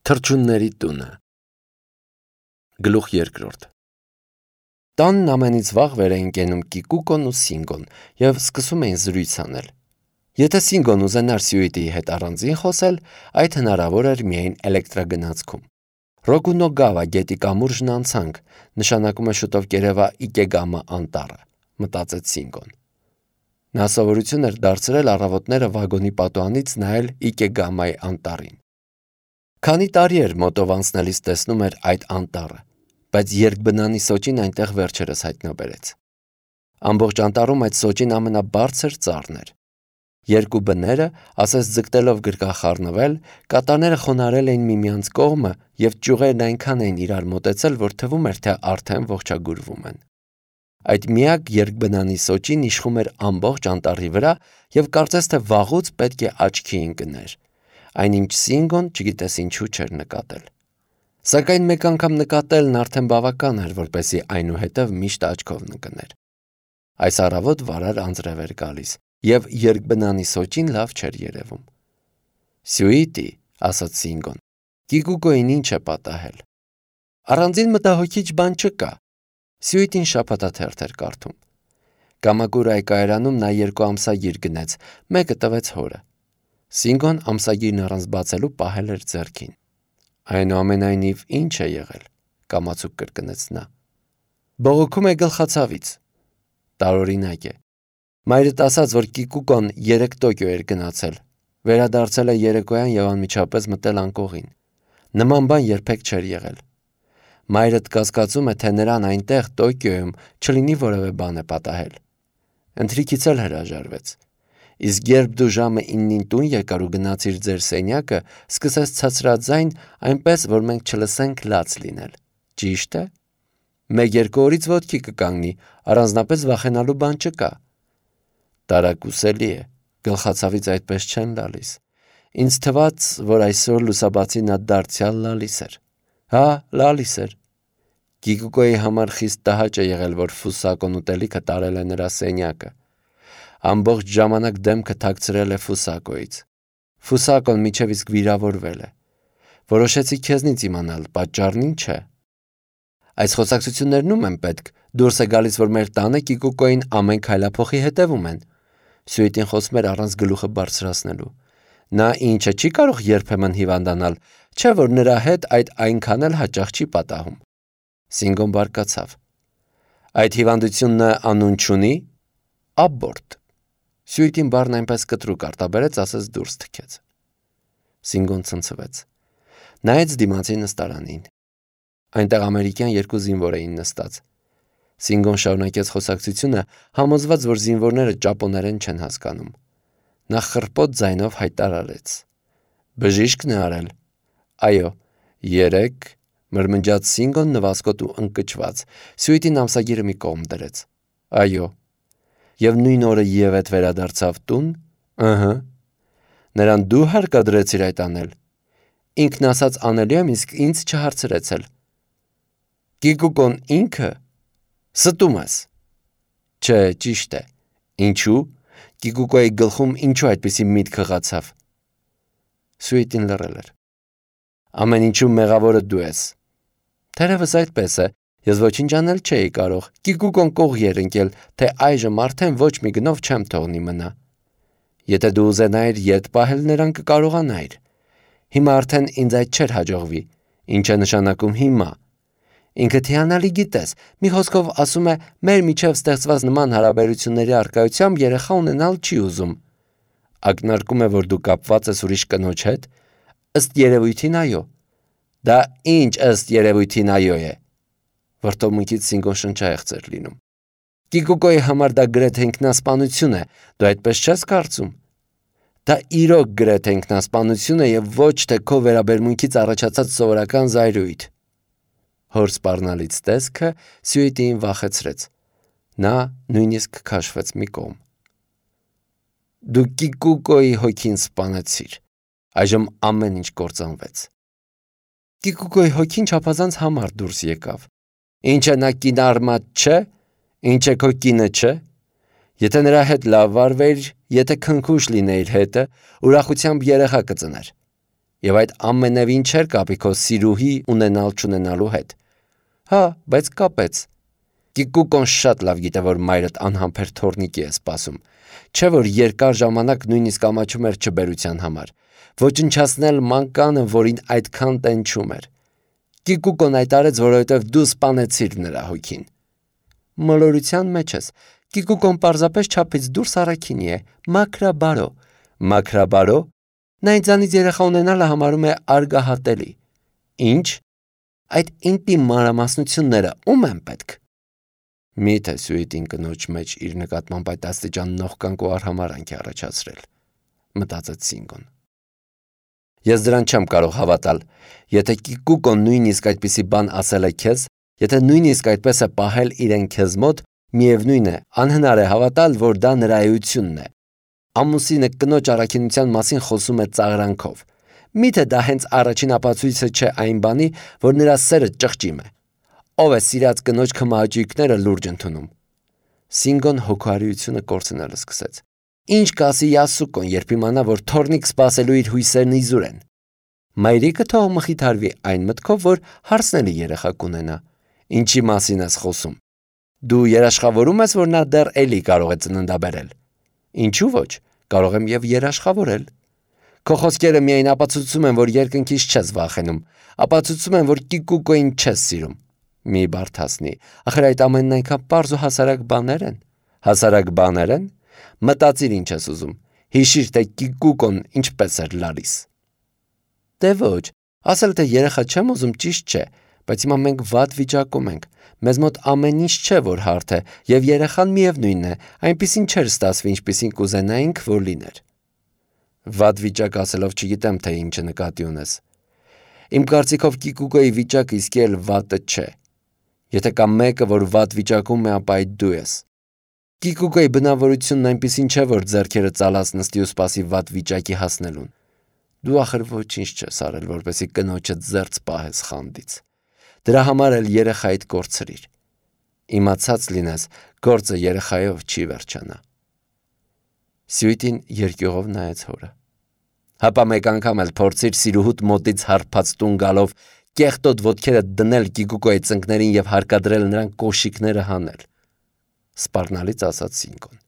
Թռչունների տունը։ Գլուխ երկրորդ։ Տանն ամենից վաղ վեր էին կենում Կիկուկոն ու Սինգոն և սկսում էին զրույց անել։ Եթե Սինգոն ուզենար Սյուիտիի հետ առանձին խոսել, այդ հնարավոր էր միայն էլեկտրագնացքում։ Ռոկունոգավա գետի կամուրջն անցանք, նշանակում է շուտով կերևա Իկեգամա անտառը, մտածեց Սինգոն։ Նա սովորություն էր դարձրել առավոտները վագոնի պատուհանից նայել Իկեգամայի անտառին։ Քանի տարի էր մոտով անցնելիս տեսնում էր այդ անտառը, բայց երկբնանի սոճին այնտեղ վերջերս հայտնաբերեց։ Ամբողջ անտառում այդ սոճին ամենաբարձր ծառն էր։ Երկու բները, ասես ձգտելով գրկախառնվել, կատաները խոնարհել էին միմյանց կողմը և ճյուղերն այնքան էին իրար մոտեցել, որ թվում էր, թե արդեն ողջագուրվում են։ Այդ միակ երկբնանի սոճին իշխում էր ամբողջ անտառի վրա և կարծես թե վաղուց պետք է աչքի ընկներ, այնինչ Սինգոն չգիտես ինչու չէր նկատել։ Սակայն մեկ անգամ նկատելն արդեն բավական էր, որպեսզի այնուհետև միշտ աչքով ընկներ։ Այս առավոտ վարար անձրև էր գալիս, և երկբնանի սոճին լավ չէր երևում։ «Սյուիտի», ասաց Սինգոն, «Կիկուկոին ինչ է պատահել»։ «Առանձին մտահոգիչ բան չկա»։ Սյուիտին շաբաթաթերթ էր կարդում։ Կամակուրայի կայարանում նա 2 ամսագիր գնեց, մեկը տվեց հորը։ Սինգոն ամսագիրն առանց բացելու պահել էր ձեռքին։ «Այնուամենայնիվ, ինչ է եղել», կամացուկ կրկնեց նա։ «Բողոքում է գլխացավից»։ Տարօրինակ է։ Մայրդ ասաց, որ Կիկուկոն 3 Տոկիո էր գնացել, վերադարձել է երեկոյան և անմիջապես մտել անկողին։ Նման բան երբեք չէր եղել։ Մայրդ կասկածում է, թե նրան այնտեղ Տոկիոյում չլինի որևէ բան է պատահել։ Ընթրիքից էլ հրաժարվեց։ Իսկ երբ դու ժամը 9-ին տուն եկար ու գնացիր ձեր սենյակը, սկսեց ցածրաձայն, այնպես, որ մենք չլսենք լաց լինել։ Ճիշտ է։ 1-2 օրից ոտքի կկանգնի, առանձնապես վախենալու բան չկա։ Տարակուսելի է, գլխացավից այդպես չեն լալիս։ Ինձ թվաց, որ այսօր լուսաբացի նա դարձյալ լալիս էր։ Հա, լալիս էր։ Կիկուկոյի համար խիստ տհաճ է եղել, որ Ֆուսակոն ուտելիքը տարել է նրա սենյակը։ Ամբողջ ժամանակ դեմքը թաքցրել է Ֆուսակոյից։ Ֆուսակոն մինչև իսկ վիրավորվել է։ Որոշեցի քեզնից իմանալ, պատճառն ինչ է։ Այս խոսակցություններն ում են պետք։ Դուրս է գալիս, որ մեր տանը Կիկուկոյին ամեն քայլափոխի հետևում են։ Սյուիտին խոսում էր առանց գլուխը բարձրացնելու։ Նա ինչը չի կարող երբեմն հիվանդանալ, չէ՞ որ նրա հետ այդ այնքան էլ հաճախ չի պատահում։ Սինգոն բարկացավ։ Այդ հիվանդությունը անուն չունի։ Աբորտ։ Սյուիտին բառն այնպես կտրուկ արտաբերեց, ասես դուրս թքեց։ Սինգոն ցնցվեց։ Նայեց դիմացի նստարանին։ Այնտեղ ամերիկյան 2 զինվոր էին նստած։ Սինգոն շարունակեց խոսակցությունը, համոզված, որ զինվորները ճապոներեն չեն հասկանում։ Նա խռպոտ ձայնով հայտարարեց. «Բժիշկն է արել»։ «Այո, 3», մրմնջաց Սինգոն նվազկոտ ու ընկճված։ Սյուիտին ամսագիրը մի կողմ դրեց։ «Այո»։ Եվ նույն օրը Եվեթ վերադարձավ տուն։ Ըհը։ Նրան դու հարկադրեցիր այդ անել։ Ինքն ասաց անելու եմ, իսկ ինձ չհարցրեցել։ Կիկուկոն ինքը։ Ստում ես։ Չէ, ճիշտ է։ Ինչու՞։ Կիկուկոյի գլխում ինչու այդպիսի միտք հղացավ։ Սյուիտին լռել էր։ Ամեն ինչում մեղավորը դու ես։ Թերևս այդպես է։ Ես ոչինչ անել չէի կարող։ Կիկուկոն կողի էր ընկել, թե այժմ արդեն ոչ մի գնով չեմ թողնի մնա։ Եթե դու ուզենայիր ետ պահել նրան կկարողանայիր։ Հիմա արդեն ինձ այդ չէր հաջողվի։ Ինչ է նշանակում հիմա։ Ինքդ հիանալի գիտես, մի խոսքով ասում է, մեր միջև ստեղծված նման հարաբերությունների առկայությամբ երեխա ունենալ չի ուզում։ Ակնարկում է, որ դու կապված ես ուրիշ կնոջ հետ։ Ըստ երևույթին այո։ Դա ինչ ըստ երևույթին այո է։ Վրդովմունքից Սինգոն շնչահեղձ էր լինում։ Կիկուկոյի համար դա գրեթե ինքնասպանություն է, դու այդպես չես կարծում։ Դա իրոք գրեթե ինքնասպանություն է և ոչ թե քո վերաբերմունքից առաջացած սովորական զայրույթ։ Հոր սպառնալից տեսքը Սյուիտիին վախեցրեց։ Նա նույնիսկ քաշվեց մի կողմ։ Դու Կիկուկոյի հոգին սպանեցիր։ Այժմ ամեն ինչ կործանվեց։ Կիկուկոյի հոգին չափազանց համառ դուրս եկավ։ Ինչ է նա կինարմատ չէ։ Ինչ է քո կինը չէ։ Եթե նրա հետ լավ վարվեիր, եթե քնքուշ լինեիր հետը, ուրախությամբ երեխա կծներ։ Եվ այդ ամենևին չէր կապի քո սիրուհի ունենալ-չունենալու հետ։ Հա, բայց կապեց։ Կիկուկոն շատ լավ գիտե, որ մայրդ անհամբեր թորնիկի է սպասում։ Չէ՞ որ երկար ժամանակ նույնիսկ ամաչում էր չբերության համար։ Ոչնչացնել մանկանը, որին այդքան տենչում էր։ Կիկուկոն այդ արեց, որովհետև դու սպանեցիր նրա հոգին։ Մոլորության մեջ ես։ Կիկուկոն պարզապես չափից դուրս առաքինի է, մաքրաբարո։ Մաքրաբարո։ Նա ինձանից երեխա ունենալը համարում է արգահատելի։ Ինչ։ Այդ ինտիմ մանրամասնությունները ում են պետք։ Միթե Սյուիտին կնոջ մեջ իր նկատմամբ այդ աստիճան նողկանք ու արհամարանք է առաջացրել, մտածեց Սինգոն։ Ես դրան չեմ կարող հավատալ։ Եթե Կիկուկոն նույնիսկ այդպիսի բան ասել է քեզ, եթե նույնիսկ այդպես է պահել իրեն քեզ մոտ, միևնույն է, անհնար է հավատալ, որ դա նրա էությունն է։ Ամուսինը կնոջ առաքինության մասին խոսում է ծաղրանքով։ Միթե դա հենց առաջին ապացույցը չէ այն բանի, որ նրա սերը ճղճիմ է։ Ով է սիրած կնոջ քմահաճույքները լուրջ ընդունում։ Սինգոն հոգարիությունը կորցնել սկսեց։ Ինչ կասի Յասուկոն, երբ իմանա, որ թորնիկ սպասելու իր հույսերն իզուր են։ Մայրիկը թող մխիթարվի այն մտքով, որ հարցնելի երեխա կունենա։ Ինչի մասին ես խոսում։ Դու երաշխավորում ես, որ նա դեռ էլի կարող է ծննդաբերել։ Ինչու ոչ, կարող եմ եւ երաշխավորել։ Քո խոսքերը միայն ապացուցում են, որ երկնքից չես վախենում, ապացուցում են, որ Կիկուկոին չես սիրում։ Մի բարթասնի, ախր այդ ամենն այնքան պարզ ու հասարակ բաներ են։ Հասարակ բաներ են։ Մտածիր ինչ ես ուզում։ Հիշիր, թե Կիկուկոն ինչպես էր լալիս։ Դե ոչ, ասել թե երեխա չեմ ուզում ճիշտ չէ, բայց հիմա մենք վատ վիճակում ենք։ Մեզ մոտ ամեն ինչ չէ, որ հարթ է, եւ երեխան միևնույնն է, այնպիսին չէր ստացվի, ինչպիսին կուզենայինք, որ լիներ։ Վատ վիճակ ասելով չգիտեմ, թե ինչը նկատի ունես։ Իմ կարծիքով Կիկուկոյի վիճակը իսկի էլ վատը չէ։ Եթե կա մեկը, որ վատ վիճակում է, ապա այդ դու ես։ Կիկուկոյի բնավորությունն այնպիսին չէ, որ ձեռքերը ծալած նստի ու սպասի վատ վիճակի հասնելուն։ Դու ախր ոչինչ չես արել, որպեսզի կնոջդ զերծ պահես խանդից։ Դրա համար էլ երեխայիդ կորցրիր։ Իմացած լինես, գործը երեխայով չի վերջանա։ Սյուիտին երկյուղով նայեց հորը։ Հապա մեկ անգամ էլ փորձիր սիրուհուդ մոտից հարբած տուն գալով կեղտոտ ոտքերը դնել Կիկուկոյի ծնկներին եւ հարկադրել նրան կոշիկները հանել։ Սպառնալից ասաց Սինգոն։